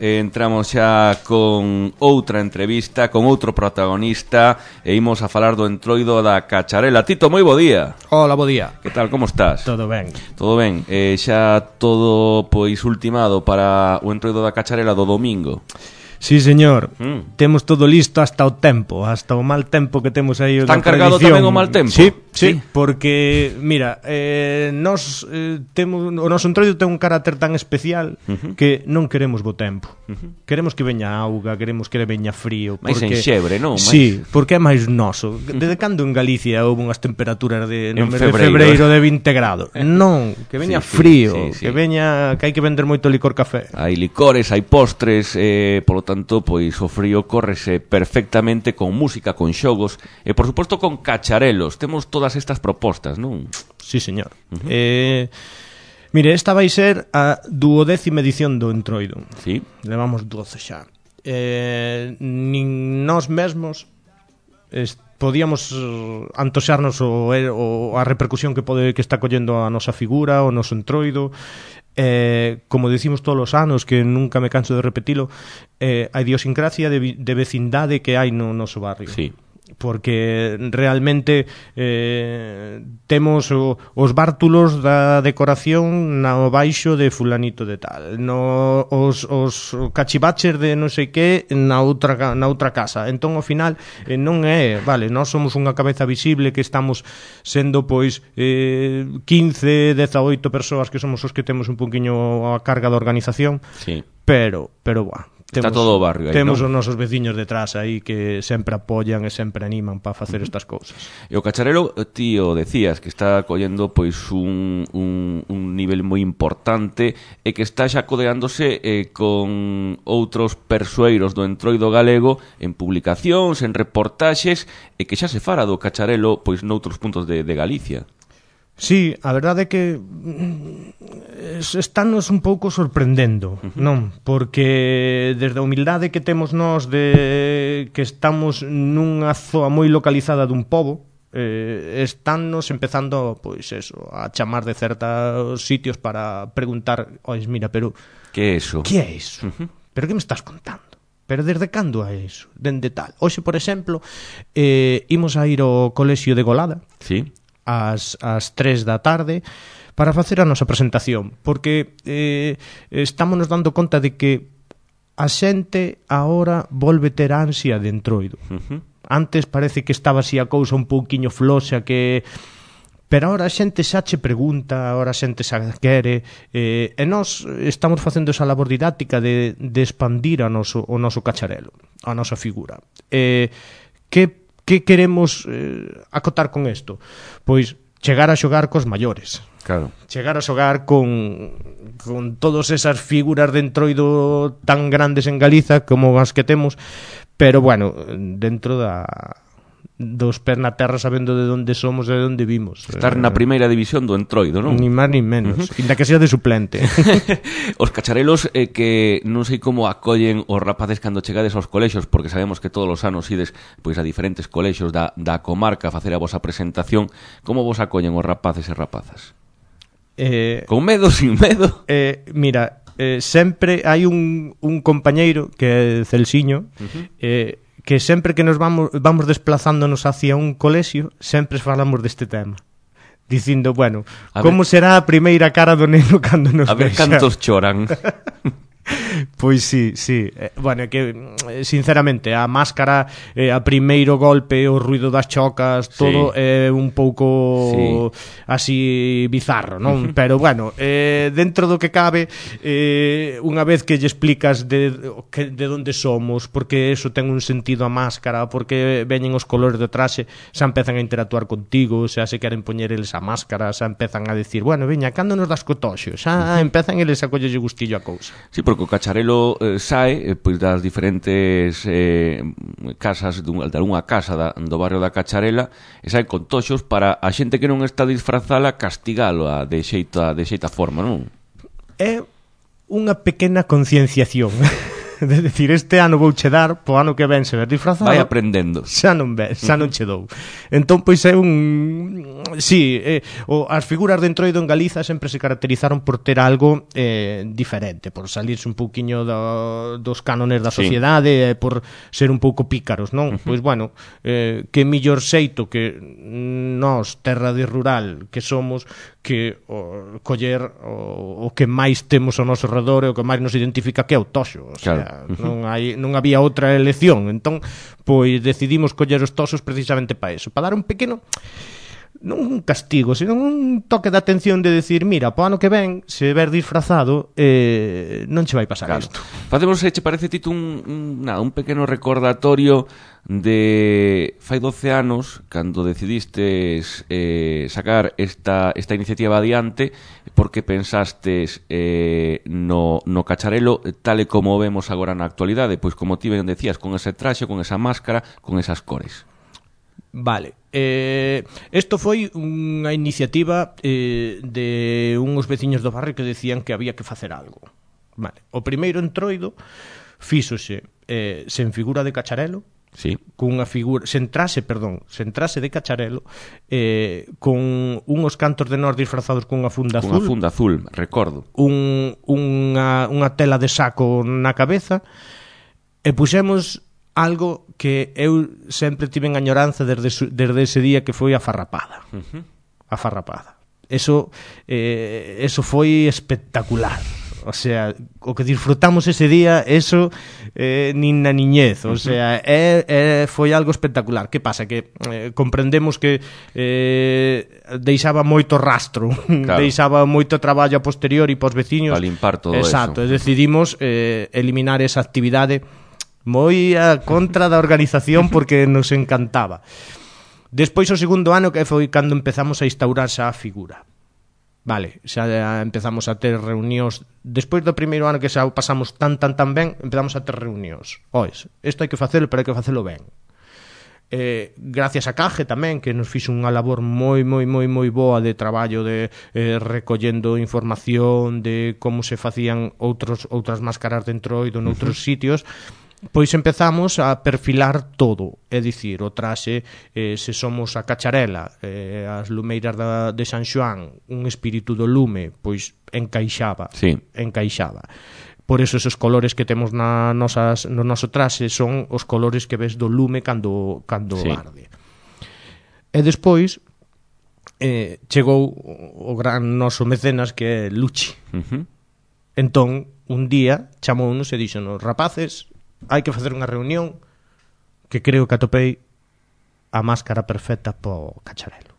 entramos xa con outra entrevista, con outro protagonista, e imos a falar do Entroido da Cacharela. Tito, moi bo día. Hola, bo día. Que tal, como estás? Todo ben. Todo ben, xa todo pois ultimado para o Entroido da Cacharela do domingo. Sí, señor. Temos todo listo hasta o tempo, hasta o mal tempo que temos aí. Está encargado tamén o mal tempo? Sí, porque, mira, nos temos, o noso Entroido ten un carácter tan especial que non queremos bo tempo. Queremos que veña auga, queremos que veña frío. Mais enxebre, non? Sí, porque é máis noso. Desde cando en Galicia houve unhas temperaturas de febreiro de 20 grados? Non, que veña frío, que veña, que hai que vender moito licor café. Hai licores, hai postres, polo tanto, pois o frío córrese perfectamente con música, con xogos e, por suposto, con cacharelos. Temos todas estas propostas, non? Sí, señor. Mire, esta vai ser a 12ª edición do Entroido. Sí. Levamos 12 xa. Nin nós mesmos podíamos antoxarnos a repercusión que está collendo a nosa figura, o noso Entroido. Como decimos todos os anos, que nunca me canso de repetilo, a idiosincrasia de vecindade que hai no noso barrio. Sí. Porque realmente temos os bártulos da decoración no baixo de fulanito de tal, os cachivaches de non sei que na outra casa. Entón, ao final, non é, vale, nós somos unha cabeza visible que estamos sendo, pois, 15, 18 persoas que somos os que temos un poquinho a carga da organización. Sí. Pero, está todo o barrio aí, temos non? os nosos veciños detrás aí que sempre apoian e sempre animan para facer estas cousas. E o cacharelo, tío, decías que está collendo pois un nivel moi importante e que está xa codeándose con outros persoeiros do Entroido galego en publicacións, en reportaxes, e que xa se fara do cacharelo pois noutros puntos de Galicia. Sí, a verdade é que estános un pouco sorprendendo, non? Porque desde a humildade que temos nós de que estamos nunha zoa moi localizada dun pobo, estánnos empezando, pois eso, a chamar de certos sitios para preguntar, ois, mira, pero que é iso? Que é iso? Pero que me estás contando? Pero desde cando é iso? Dende tal. Hoxe, por exemplo, imos a ir ao colexio de Golada. Sí. Ás 3 da tarde para facer a nosa presentación, porque estámonos dando conta de que a xente agora volve ter ansia de Entroido. Antes parece que estaba así a cousa un pouquiño floxa, pero agora a xente xa che pregunta, agora a xente xa quere, e nós estamos facendo esa labor didáctica de expandir o noso cacharelo, a nosa figura. Que queremos acotar con isto? Pois chegar a xogar cos maiores. Claro. Chegar a xogar con todas esas figuras de Entroido tan grandes en Galiza como as que temos, pero bueno, dentro dos pés na terra, sabendo de onde somos e de onde vimos. Estar na primeira división do Entroido, non? Ni máis ni menos, inda que sea de suplente. Os cacharelos que non sei como acollen os rapaces cando chegades aos colexios, porque sabemos que todos os anos ides pois a diferentes colexios da comarca a facer a vosa presentación. Como vos acollen os rapaces e rapazas? Con medo, sin medo? Mira, sempre hai un compañeiro que é Celsiño, que sempre que nos vamos desplazándonos hacia un colexio, sempre falamos deste tema, dicindo, bueno, como será a primeira cara do neno cando nos vexa? A ver cantos choran. Pois sí. Bueno, que sinceramente a máscara, a primeiro golpe, o ruido das chocas, todo é un pouco así bizarro, non? Pero bueno, dentro do que cabe, unha vez que lle explicas de onde somos, porque eso ten un sentido a máscara, porque veñen os colores do traxe, xa empezan a interactuar contigo, xa se queren poñer eles a máscara, xa empezan a decir, bueno, veña, cando nos das cotoxo? Xa empezan eles a collelle gustillo a cousa. Sí, porque o cacharelo sae pois das diferentes casas de algunha casa do barrio da Cacharela, e sae con toxos para a xente que non está disfrazala castigalo de xeita forma, non? É unha pequena concienciación. de decir, este ano vou che dar, po ano que ven se ver disfrazado. Vai aprendendo. Xa non che dou. Entón, pois é un... Sí, as figuras de Entroido en Galiza sempre se caracterizaron por ter algo diferente, por salirse un pouquiño dos cánones da sociedade, por ser un pouco pícaros, non? Pois, bueno, que millor xeito que nós, terra de rural, que somos, que coller o que máis temos ao noso redor e o que máis nos identifica, que é o toxo. O sea, non había outra elección. Entón, pois decidimos coller os toxos precisamente para eso, para dar un pequeno, non un castigo, sino un toque de atención de decir, mira, po ano que ven, se ver disfrazado, non che vai pasar isto. Facemos, che parece, Tito, un pequeno recordatorio de fai 12 anos, cando decidistes sacar esta iniciativa adiante, porque pensastes no cacharelo tal e como vemos agora na actualidade, pois como ti ben decías, con ese traxe, con esa máscara, con esas cores. Vale, isto foi unha iniciativa de uns veciños do barrio que decían que había que facer algo. Vale, o primeiro Entroido fíxose sen figura de cacharelo, sí, cunha figura sen trase de cacharelo, con unhos cantos de nós disfrazados cunha funda azul. Cunha funda azul, recordo. Unha tela de saco na cabeza, e puxemos algo que eu sempre tive en añoranza desde ese día, que foi a farrapada. A farrapada. Eso foi espectacular. O sea, o que disfrutamos ese día, eso nin na niñez. O sea, foi algo espectacular. Que pasa? Que comprendemos que deixaba moito rastro, claro, deixaba moito traballo a posteriori pos veciños. Para limpar todo eso. Exacto, e decidimos eliminar esa actividade moi a contra da organización, porque nos encantaba. Despois, o segundo ano, que foi cando empezamos a instaurar xa a figura. Vale, xa empezamos a ter reunións. Despois do primeiro ano, que xa pasamos tan ben, empezamos a ter reunións. Ois, isto hai que facelo, pero hai que facelo ben. Gracias a Caje tamén, que nos fixo unha labor moi boa de traballo, de recollendo información de como se facían outras máscaras de Entroido noutros sitios. Pois empezamos a perfilar todo, é dicir, o traxe, se somos a cacharela, as lumeiras de San Xoán, un espírito do lume, pois encaixaba. Sí. Encaixaba. Por eso esos colores que temos no noso traxe son os colores que ves do lume cando sí, arde. E despois chegou o gran noso mecenas, que é Luchi. Entón, un día chamounos e díxonos: rapaces, hai que facer unha reunión, que creo que atopei a máscara perfecta po cacharelo.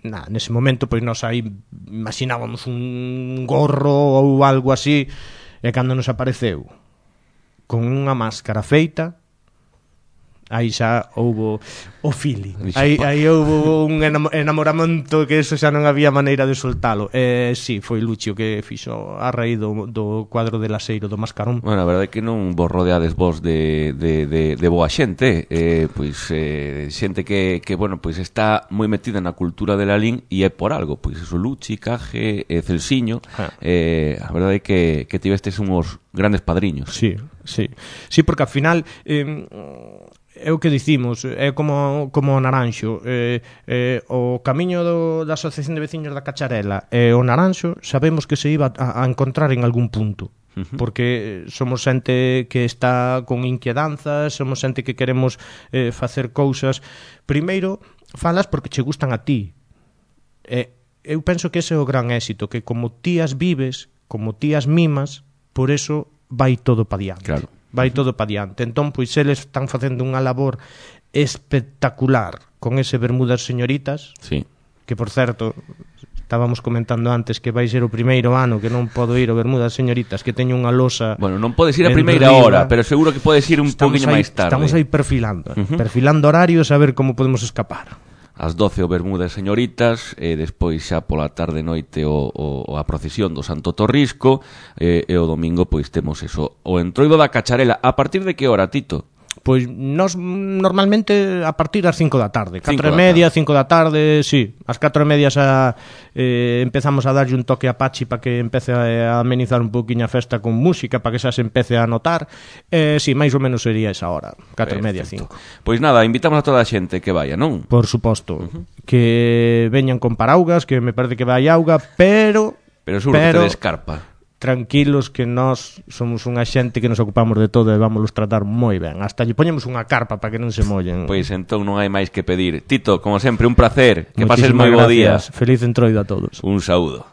Nese momento, pois nós aí imaginábamos un gorro ou algo así, e cando nos apareceu con unha máscara feita, aí xa houbo o feeling, aí houbo un enamoramento, que eso xa non había maneira de soltalo. Si, foi Lucio que fixo a raíz do cuadro de Laseiro, do mascarón. Bueno, a verdade é que non vos rodeades vos de boa xente, pois xente que bueno, pois está moi metida na cultura de Lalín, e é por algo, pois eso, Luchi, Caje, Celsiño, a verdade é que tivestes unhos grandes padriños. Sí, porque ao final é o que dicimos, é como o Naranxo, o camiño da Asociación de Veciños da Cacharela e o Naranxo sabemos que se iba a encontrar en algún punto, porque somos xente que está con inquedanzas, somos xente que queremos facer cousas. Primeiro, falas porque che gustan a ti. Eu penso que ese é o gran éxito, que como ti as vives, como ti as mimas, por eso vai todo pa diante. Claro. Vai todo pa diante. Entón, pois eles están facendo unha labor espectacular con ese Bermudas Señoritas, sí, que, por certo, estábamos comentando antes que vai ser o primeiro ano que non podo ir ao Bermudas Señoritas, que teño unha losa. Bueno, non podes ir a primeira hora, pero seguro que podes ir un poquinho máis tarde. Estamos aí perfilando horarios, a ver como podemos escapar. Ás 12 o Bermudas Señoritas, e despois xa pola tarde noite a procesión do Santo Torrisco, e o domingo pois temos eso, o Entroido da Cacharela. A partir de que hora, Tito? Pois nós normalmente a partir das 5 da tarde, 4 5 e media, 5 da tarde, sí, ás 4 e media xa empezamos a darlle un toque a Pachi para que empece a amenizar un pouquiño a festa con música, para que xa se empece a notar. Sí, máis ou menos sería esa hora, 4 e media, 5. Pois nada, invitamos a toda a xente que vaya, non? Por suposto, que veñan con paraugas, que me parece que vai auga, pero seguro que tedes carpa. Tranquilos, que nós somos unha xente que nos ocupamos de todo e vámonos tratar moi ben. Hasta lle poñemos unha carpa para que non se mollen. Pois entón non hai máis que pedir. Tito, como sempre, un placer. Que pases moi bo día. Feliz entroido a todos. Un saúdo.